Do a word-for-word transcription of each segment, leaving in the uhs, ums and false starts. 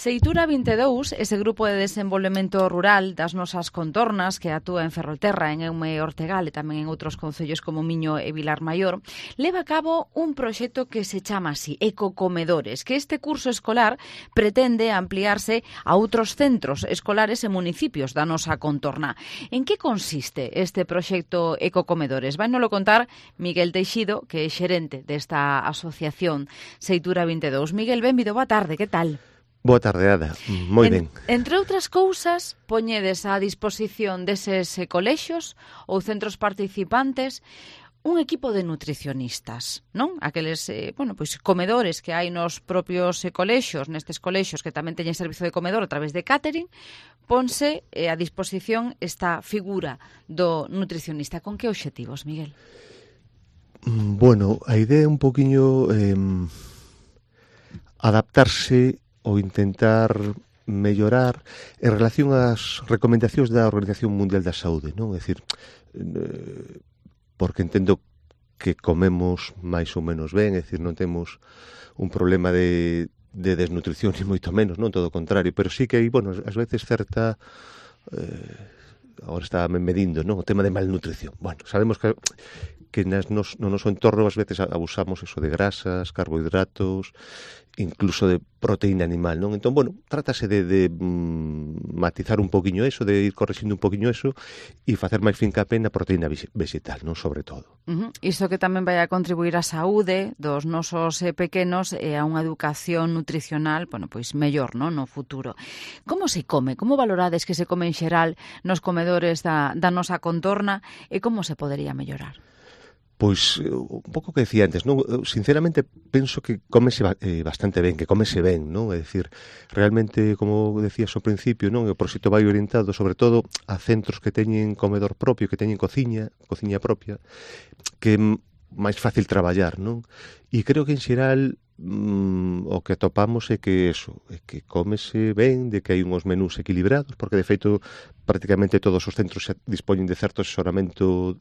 Seitura vinte e dous, ese grupo de desenvolvemento rural das nosas contornas que actúa en Ferrolterra, en Eume e Ortegal e tamén en outros concellos como Miño e Vilar Maior, leva a cabo un proxecto que se chama así, Ecocomedores, que este curso escolar pretende ampliarse a outros centros escolares e municipios da nosa contorna. En que consiste este proxecto Ecocomedores? Vai nolo contar Miguel Teixido, que é xerente desta asociación Seitura vinte e dous. Miguel, benvido, boa tarde, que tal? Boa tarde, Ada. Moi ben. En, entre outras cousas, poñedes á disposición deses eh, colexios ou centros participantes un equipo de nutricionistas, non? Aqueles, eh, bueno, pois comedores que hai nos propios eh, colexios, nestes colexios que tamén teñen servizo de comedor a través de catering, ponse eh, a disposición esta figura do nutricionista. Con que obxectivos, Miguel? Bueno, a idea é un poquinho eh, adaptarse ou intentar mellorar en relación ás recomendacións da Organización Mundial da Saúde, non? É dicir, eh, porque entendo que comemos máis ou menos ben, é dicir, non temos un problema de, de desnutrición, ni moito menos, non? Todo o contrario, pero sí que hai, bueno, ás veces certa... Eh, agora estaba medindo, non? O tema de malnutrición. Bueno, sabemos que que nas nos, no noso entorno ás veces abusamos eso de grasas, carbohidratos, incluso de proteína animal, non? Entón, bueno, trátase de, de mm, matizar un poquinho eso, de ir corrixindo un poquinho eso e facer máis fincapé na proteína vegetal, non? Sobre todo. Uh-huh. Isto que tamén vai a contribuir á saúde dos nosos eh, pequenos e a unha educación nutricional, bueno, pois mellor, non? No futuro. Como se come? Como valorades que se come en xeral nos comedores da, da nosa contorna e como se podería mellorar? Pois, un pouco que decía antes, non? Sinceramente, penso que comese eh, bastante ben, que comese ben, non? É dicir, realmente, como decías ao principio, non? O proxecto vai orientado, sobre todo, a centros que teñen comedor propio, que teñen cociña, cociña propia, que é máis fácil traballar, non? E creo que, en xeral, mm, o que atopamos é que eso, é que cómese ben, de que hai uns menús equilibrados, porque, de feito, prácticamente todos os centros dispoñen de certo asesoramento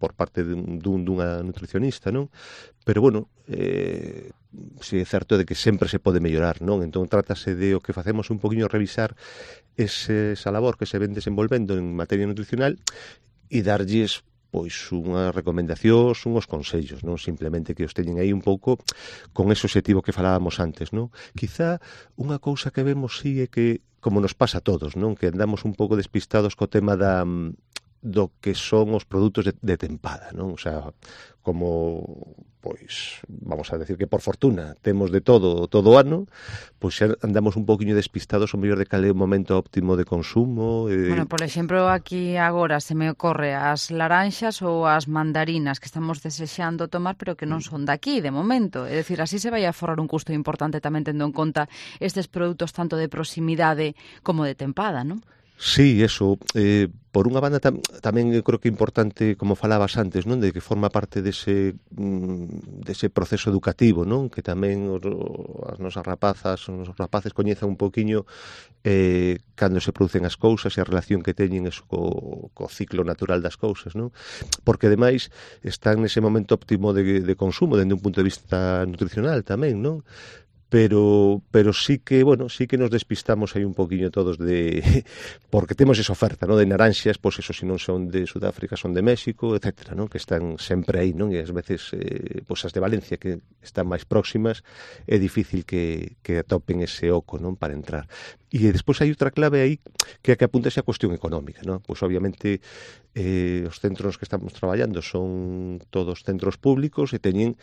por parte dun, dunha nutricionista, non? Pero, bueno, eh, si é certo de que sempre se pode mellorar, non? Entón, trátase de o que facemos un poquinho revisar ese, esa labor que se ven desenvolvendo en materia nutricional e darlles pois unhas recomendacións, unhos consellos, non? Simplemente que os teñen aí un pouco con ese objetivo que falábamos antes, non? Quizá unha cousa que vemos sí é que, como nos pasa a todos, non? Que andamos un pouco despistados co tema da do que son os produtos de, de tempada, non? O sea, como, pois, vamos a decir que por fortuna temos de todo todo o ano, pois xa andamos un poquinho despistados o mellor de cal é o momento óptimo de consumo. Eh... Bueno, por exemplo, aquí agora se me ocorre as laranxas ou as mandarinas que estamos desexando tomar, pero que non son daqui, de momento. É dicir, así se vai a forrar un custo importante tamén tendo en conta estes produtos tanto de proximidade como de tempada, non? Sí, eso, eh, por unha banda tam, tamén eu creo que é importante, como falabas antes, non, de que forma parte dese, mm, dese proceso educativo, non, que tamén os, as nosas rapazas, os nosos rapaces coñezan un poquinho eh, cando se producen as cousas e a relación que teñen eso co, co ciclo natural das cousas, non, porque ademais están nese momento óptimo de, de consumo dende un punto de vista nutricional tamén, non? Pero, pero sí que, bueno, sí que nos despistamos aí un poquinho todos de... porque temos esa oferta, non? De naranxas, pois eso, se non son de Sudáfrica, son de México, etcétera, non? Que están sempre aí, non? E ás veces, eh, pois as de Valencia, que están máis próximas, é difícil que, que atopen ese oco, non? Para entrar. E despois hai outra clave aí, que é que apunta a cuestión económica, non? Pois obviamente, eh, os centros que estamos traballando son todos centros públicos e teñen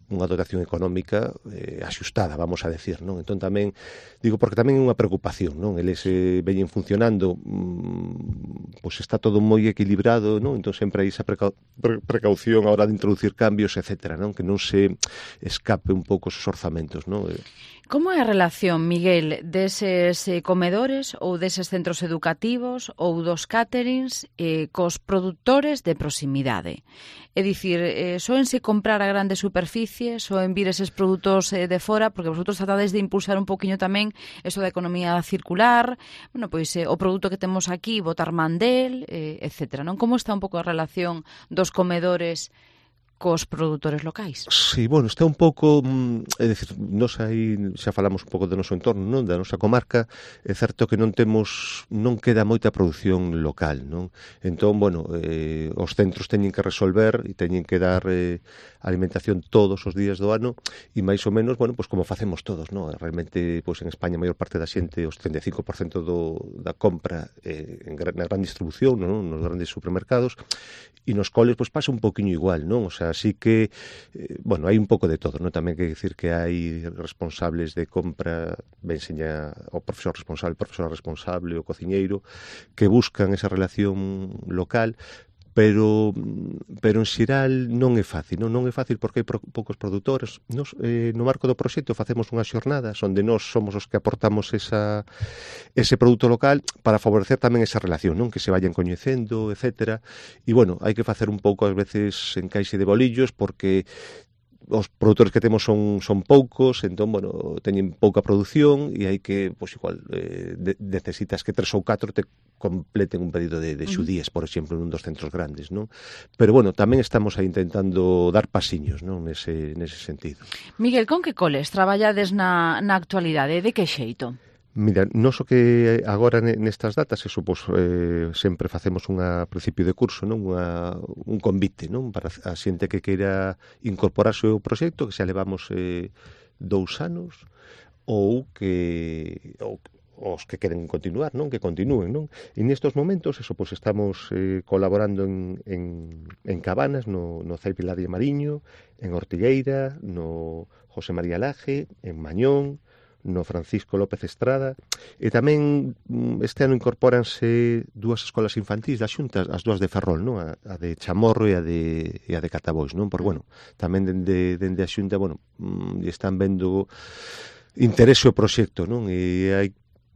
unha dotación económica eh, axustada, vamos a decir, non? Entón tamén, digo, porque tamén é unha preocupación, non? Eles eh, veñen funcionando, mmm, pois está todo moi equilibrado, non? Entón sempre hai esa preca pre precaución a hora de introducir cambios, etcétera, non? Que non se escape un pouco esos orzamentos, non? Como é a relación, Miguel, deses eh, comedores ou deses centros educativos ou dos caterings eh, cos produtores de proximidade? É dicir, eh, soense comprar a grandes superficies, soen vir eses produtos eh, de fora, porque vosotros tratades de impulsar un poquinho tamén eso da economía circular, bueno, pois eh, o produto que temos aquí, botar mandel, eh, etcétera, non? Como está un pouco a relación dos comedores cos produtores locais. Sí, bueno, está un pouco, é dicir, nos aí xa falamos un pouco do noso entorno, non, da nosa comarca, é certo que non temos, non queda moita produción local, non? Entón, bueno, eh, os centros teñen que resolver e teñen que dar eh, alimentación todos os días do ano e máis ou menos, bueno, pois como facemos todos, non? Realmente, pois en España a maior parte da xente, os setenta e cinco por cento do, da compra eh, en gran, na gran distribución, non? Nos grandes supermercados, e nos coles pois pasa un poquinho igual, non? O sea, así que, eh, bueno, hai un pouco de todo, non? Tamén hai que dicir que hai responsables de compra, ben seña o profesor responsable, o profesor responsable, o cociñeiro, que buscan esa relación local, pero pero en xeral non é fácil, non, non é fácil porque hai pro, poucos produtores. Nos, eh, no marco do proxecto facemos unhas xornadas onde nós somos os que aportamos esa, ese produto local para favorecer tamén esa relación, non, que se vayan coñecendo, etcétera. E, bueno, hai que facer un pouco, ás veces, encaixe de bolillos porque os produtores que temos son, son poucos, entón, bueno, teñen pouca produción e hai que, pois igual, eh, de, necesitas que tres ou catro te completen un pedido de, de xudíes, por exemplo, nun dos centros grandes, non? Pero, bueno, tamén estamos aí intentando dar pasiños, non, nese, nese sentido. Miguel, con que coles traballades na, na actualidade? De que xeito? Mira, nos o que agora nestas datas, eso, pois, eh, sempre facemos unha principio de curso, non? Unha, un convite, non? Para a xente que queira incorporarse ao proxecto, que xa levamos eh, dous anos, ou que ou, os que queren continuar, non? Que continúen, non? E nestes momentos, eso, pois, estamos eh, colaborando en, en, en Cabanas, no, no Cei Pilar de Mariño, en Ortigueira, no José María Laje, en Mañón, no Francisco López Estrada, e tamén este ano incorpóranse dúas escolas infantís da Xunta, as dúas de Ferrol, non? A, a de Chamorro e a de, e a de Catabois, non? Por, bueno, tamén dende, dende a Xunta, bueno, están vendo interese o proxecto, non? E hai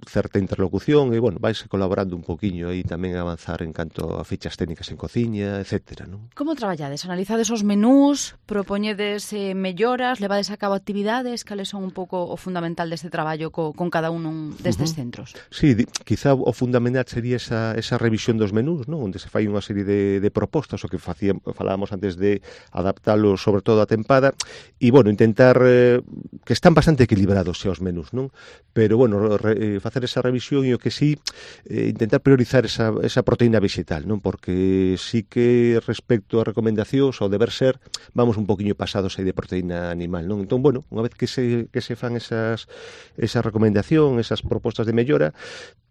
certa interlocución e, bueno, vais colaborando un poquinho aí tamén a avanzar en canto a fichas técnicas en cociña, etcétera, non? Como traballades? Analizades os menús, propoñedes eh, melloras, levades a cabo actividades, cales son un pouco o fundamental deste traballo co, con cada un destes uh-huh. centros? Sí, di, quizá o fundamental sería esa, esa revisión dos menús, non? Onde se fai unha serie de, de propostas, o que facíamos, falábamos antes de adaptalos sobre todo a tempada, e, bueno, intentar eh, que están bastante equilibrados xa os menús, non? Pero, bueno, re, facer esa revisión e o que sí, eh, intentar priorizar esa, esa proteína vegetal, non? Porque sí que respecto a recomendacións, ao deber ser, vamos un poquinho pasados aí de proteína animal, non? Entón, bueno, unha vez que se, que se fan esas, esa recomendación, esas propostas de mellora,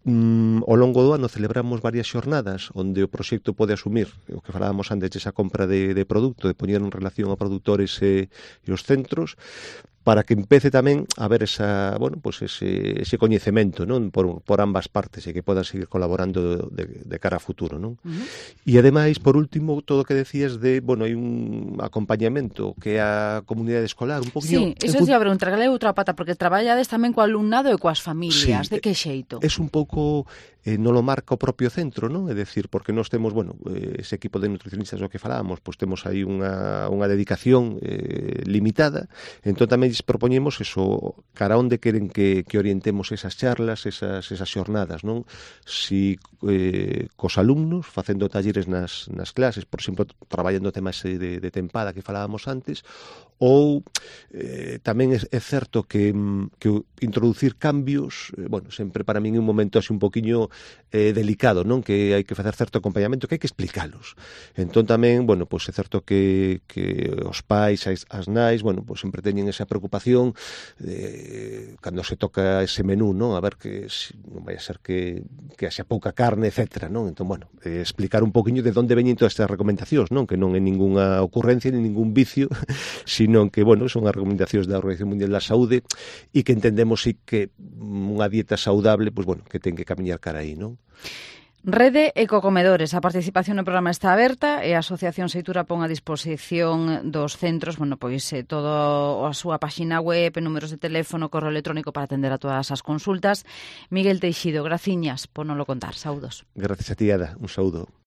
Mm, ao longo do ano celebramos varias xornadas onde o proxecto pode asumir o que falábamos antes, esa compra de, de produto, de poñer en relación a produtores e, e os centros, para que empece tamén a haber esa, bueno, pues ese, ese coñecemento, non? Por, por ambas partes e que podan seguir colaborando de, de cara a futuro, non? Uh-huh. E ademais, por último, todo o que decías de, bueno, hai un acompañamento que é a comunidade escolar, un poquinho... Sí, iso se iba a preguntar, que é outra pata, porque traballades tamén co alumnado e coas familias, sí, de que xeito? É un pouco, eh, non lo marca o propio centro, non? É dicir, porque nós temos, bueno, eh, ese equipo de nutricionistas do que falábamos, pois temos aí unha, unha dedicación eh, limitada, entón tamén propoñemos eso, cara onde queren que, que orientemos esas charlas, esas, esas xornadas, non? Si eh, cos alumnos, facendo talleres nas, nas clases, por exemplo, traballando temas de, de tempada que falábamos antes, ou eh, tamén é, é certo que, que introducir cambios, eh, bueno, sempre para min é un momento así un poquinho eh, delicado, non? Que hai que facer certo acompañamento, que hai que explicalos. Entón tamén, bueno, pois é certo que, que os pais, as, as nais, bueno, pois sempre teñen esa preocupación de, cando se toca ese menú, non? A ver que si, non vai a ser que, que haxa pouca carne, etcétera, non? Entón, bueno, eh, explicar un poquinho de onde veñen todas estas recomendacións, non? Que non é ninguna ocurrencia, ni ningún vicio, sino que, bueno, son as recomendacións da Organización Mundial da Saúde e que entendemos sí que unha dieta saudable, pois, bueno, que ten que camiñar cara aí, non? Rede Ecocomedores, a participación no programa está aberta e a Asociación Seitura pon a disposición dos centros, bueno, pois eh, todo a súa páxina web, números de teléfono, correo electrónico para atender a todas as consultas. Miguel Teixido, graciñas por non lo contar. Saúdos. Gracias a ti, Ada. Un saúdo.